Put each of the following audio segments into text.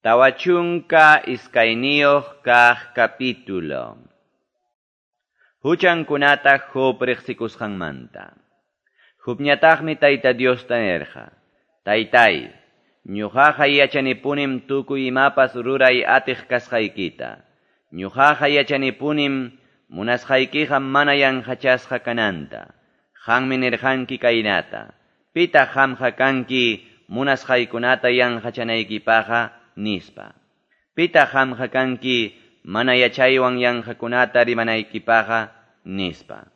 42 kaq capítulo. Huchankunata Job riqsikusqanmanta. Jobñataqmi Tayta Diosta nirqa: Taytay, ñuqaqa yachanipunim tukuy imapas ruray atiq kasqaykita. Ñuqaqa yachanipunim munasqaykiqa mana yanqachasqa kananta. Qanmi nirqanki kaynata: Pitaq qamqa kanki munasqaykunata yanqachanaykipaqqa, nispa. Pitaq qamqa kanki mana yachaywan yanqakunata rimanaykipaqqa, nispa.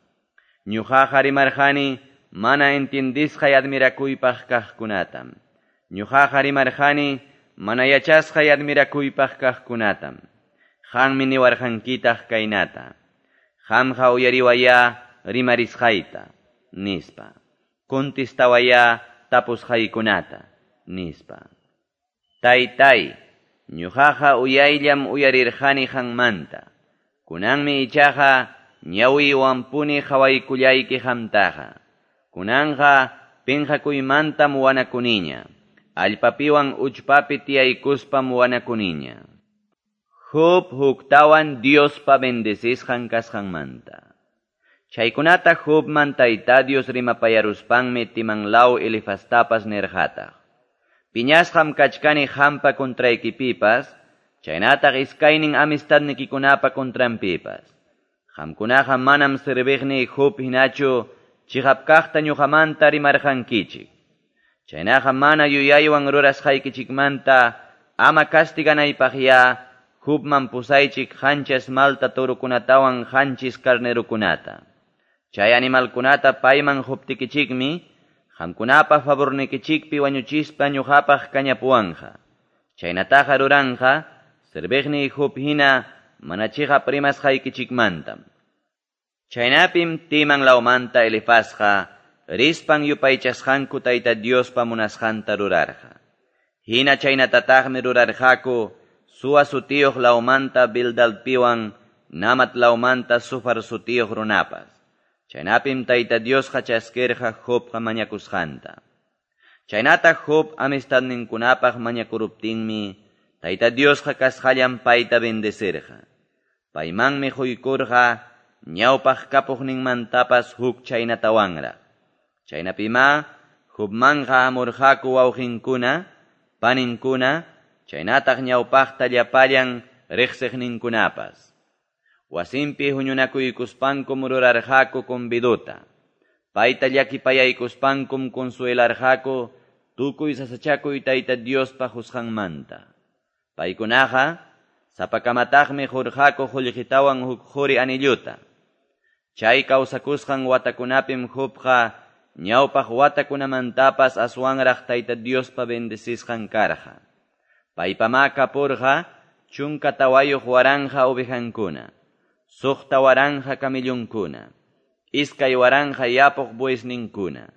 Ñuqaqa rimarqani mana entiendisqay admirakuypaq kaqkunatam. Ñuqaqa rimarqani mana yachasqay admirakuypaq kaqkunatam. Qanmi niwarqankitaq kaynata: Qamqa uyariwayá rimarisqayta, nispa. Contestawayá tapusqaykunata, nispa. Taytay, ñuqaqa uyayllam uyarirqani qanmanta. Kunanmi ichaqa ñawiywanpuni qhawaykullayki qamtaqa. Kunanqa pinqakuymantam wanakuniña. Allpapiwan uchpapi tiyaykuspam wanakuniña. Job huktawan Diospa bendecisqan kasqanmanta. Chaykunata Jobman Tayta Dios rimapayaruspanmi Timanlaw Elifastapas nirqataq: Piñasqam kachkani qampa contraykipipas, chaynataq iskaynin amistadnikikunapa contranpipas. Qamkunaqa manam serviqniy Job hinachu chiqap kaqta ñuqamanta rimarqankichik. Chaynaqa mana yuyaywan rurasqaykichikmanta ama castiganaypaqya Jobman pusaychik 7 malta torukunatawan 7 carnerukunata. Chay animalkunata payman quptikichikmi qamkunapa favornikichikpi wañuchispa ñuqapaq kañapuwanqa. Chaynataqa ruranqa serviqniy Job hina mana chiqap rimasqaykichikmantam. Chaynapim Timan lawmanta Elifazqa rispan yupaychasqanku Tayta Diospa munasqanta rurarqa. Hina chaynatataqmi rurarqaku Sua sutiyuq lawmanta Bildadpiwan Namat lawmanta Sufar sutiyuq runapas. Chaynapim Tayta Diosqa chaskirqa Jobqa mañakusqanta. Chaynata Job amistadninkunapaq mañakuruptinmi Tayta Diosqa kasqallan payta bendecirqa. Paymanmi quykurqa ñawpaq kapuqninmantapas huk chaynatawanraq. Chaynapima Jobmanqa hamurqaku wawqinkuna, paninkuna, chaynataq ñawpaqta llapallan riqsiqninkunapas. Wasinpi huñunakuykuspankum rurarqaku conviduta. Payta llakipayaykuspankum consuelarqaku tukuy sasachakuy Tayta Diospa qusqanmanta. Paykunaqa sapakamataqmi qurqaku qullqitawan huk quri anilluta. Chay kawsakusqan watakunapim Jobqa ñawpaq watakunamantapas aswanraq Tayta Diospa bendecisqan karqa. Paypama kapurqa 14,000 ovejankuna, 6,000 camellonkuna, 2,000 yapuq buesninkuna.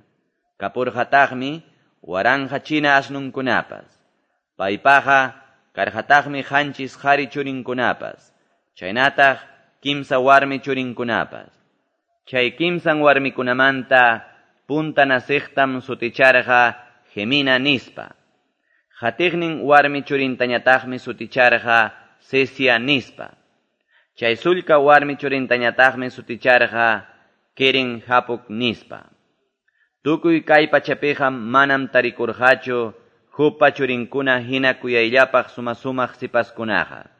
Kapurqataqmi 1,000 china asnunkunapas. Paypaqa karqataqmi 7 qhari churinkunapas, chaynataq 3 warmi churinkunapas. Chay 3 warmikunamanta punta nasiqtam suticharqa Gemina nispa. Qatiqnin warmi churintañataqmi suticharqa Cesia nispa. Chay sullka warmi churintañataqmi suticharqa Keren Hapuk nispa. Tukuy kay pachapiqa manam tarikurqachu Jobpa churinkuna hina kuyayllapaq suma-sumaq sipaskunaqa.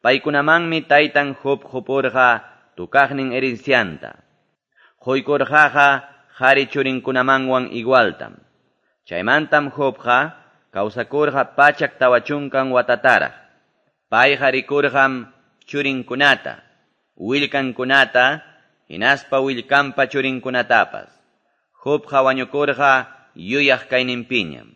Paykunamanmi taytan Job qupurqa tukaqnin herencianta. Quykurqaqa qhari churinkunamanwan igualtam. Chaymantam Jobqa kawsakurqa 140 watataraq. Payqa rikurqam churinkunata, willkankunata, hinaspa willkanpa churinkunatapas. Jobqa wañukurqa yuyaq kayninpiñam.